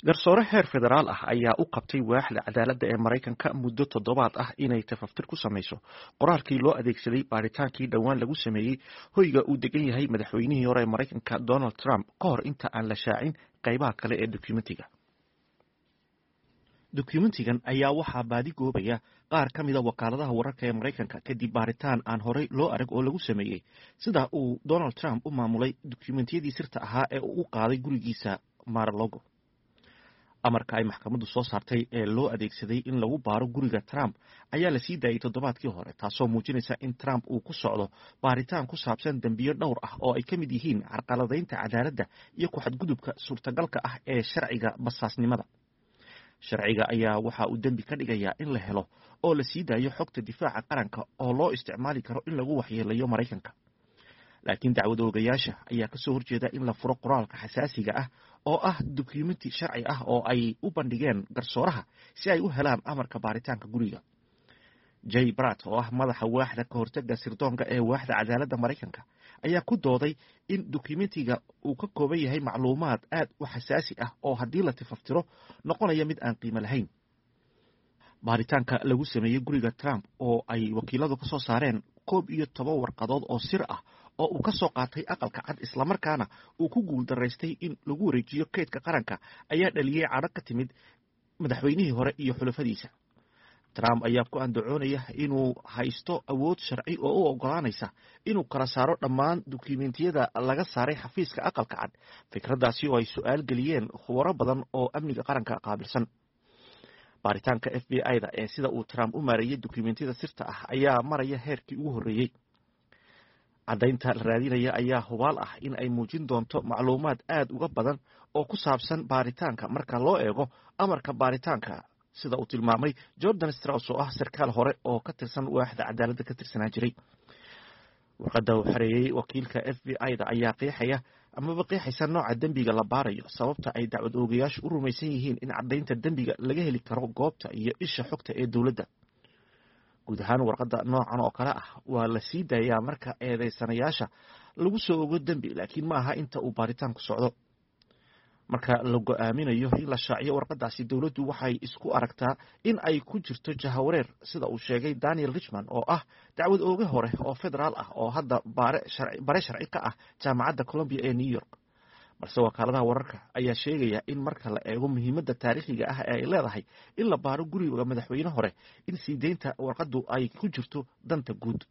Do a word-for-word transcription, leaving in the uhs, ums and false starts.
Garsoore heer federaal ah ayaa u qabtay waaxda cadaaladda ee Maraykanka muddo toddobaad ah inay tafaftir ku samayso qoraalkii loo adeegsaday baaritaankii dhowaan lagu sameeyey hoyga uu degan yahay madaxweynihii hore ee Maraykanka Donald Trump, ka hor inta aan la shaacin qaybaha kale ee dokumentiga. Dokumentigan ayaa waxaa baadi goobaya qaar ka mida wakaaladaha wararka ee Maraykanka kadib baaritaan aan horey loo arag oo lagu sameeyey sida uu Donald Trump u maamulay dokumentiyadii sirta ahaa ee uu u qaaday gurigiisa Mar-a-Lago. Amarka ay maxkamaddu soo saartay ee loo adeegsaday in lagu baaro guriga Trump ayaa la sii daayey toddobaadkii hore, taasoo muujinaysa in Trump uu ku socdo baaritaan ku saabsan dembiyo dhowr ah oo ay ka mid yihiin carqaladaynta cadaaladda iyo ku-xadgudubka suurtagalka ah ee sharciga basaasnimada. Sharciga ayaa waxa uu dembi ka dhigayaa in la helo oo la sii daayo xogta difaaca qaranka oo loo isticmaali karo in lagu waxyeelayo Maraykanka. Laakiin dacwad oogayaasha ayaa kasoo horjeeda in la furo qoraalka xasaasiga ah, oo ah dukumenti sharci ah oo ay u bandhigeen garsooraha si ay u helaan amarka baaritaanka guriga. Jay Bratt, oo ah madaxa waaxda ka hortaga sirdoonka ee waaxda cadaaladda Maraykanka, ayaa ku dooday in dokumentiga uu ka kooban yahay macluumaad aad u xasaasi ah oo haddii la tifaftiro noqonaya mid aan qiimo lahayn. Baaritaanka lagu sameeyey guriga Trump, oo ay wakiiladu ka soo saareen koob iyo toban warqadood oo sir ah oo uu ka soo qaatay Aqalka Cad, islamarkaana uu ku guul daraystay in lagu wareejiyo keydka qaranka, ayaa dhaliyey cadho ka timid madaxweynihii hore iyo xulafadiisa. Trump ayaa ku andacoonaya inuu haysto awood sharci oo u ogolaanaysa inuu kala saaro dhammaan dukumentiyada laga saaray xafiiska Aqalka Cad, fikraddaasi oo ay su-aal geliyeen khubaro badan oo amniga qaranka qaabilsan. Baaritaanka F B I da ee sida uu Trump u maareeyey dukumentiyada sirta ah ayaa maraya heerkii ugu horreeyey. Caddaynta la raadinaya ayaa hubaal ah in ay muujin doonto macluumaad aad uga badan oo ku saabsan baaritaanka marka loo eego amarka baaritaanka, sida uu tilmaamay Jordan Strauss, oo ah sarkaal hore oo ka tirsan waaxda cadaaladda ka tirsanaa jiray. Warqadda uu xareeyey wakiilka F B I da ayaa qeexaya amaba qeexaysa nooca dembiga la baarayo, sababta ay dacwad oogayaashu u rumaysan yihiin in caddaynta dembiga laga heli karo goobta iyo isha xogta ee dowladda guud ahaan. Warqadda noocan oo kale ah waa la sii daayaa marka eedeysanayaasha lagu soo ogo dembi, laakiin ma aha inta uu baaritaanku socdo. Marka la go-aaminayo in la shaaciyo warqadaasi, dowladdu waxay isku aragtaa in ay ku jirto jahawareer, sida uu sheegay Daniel Richman, oo ah dacwad ooge hore oo federaal ah oo hadda bare sharci ka ah Jaamacadda Columbia ee New York. Balse wakaaladaha wararka ayaa sheegaya in marka la eego muhiimadda taariikhiga ah ee ay leedahay in la baaro guriga madaxweyne hore, in sii deynta warqaddu ay ku jirto danta guud.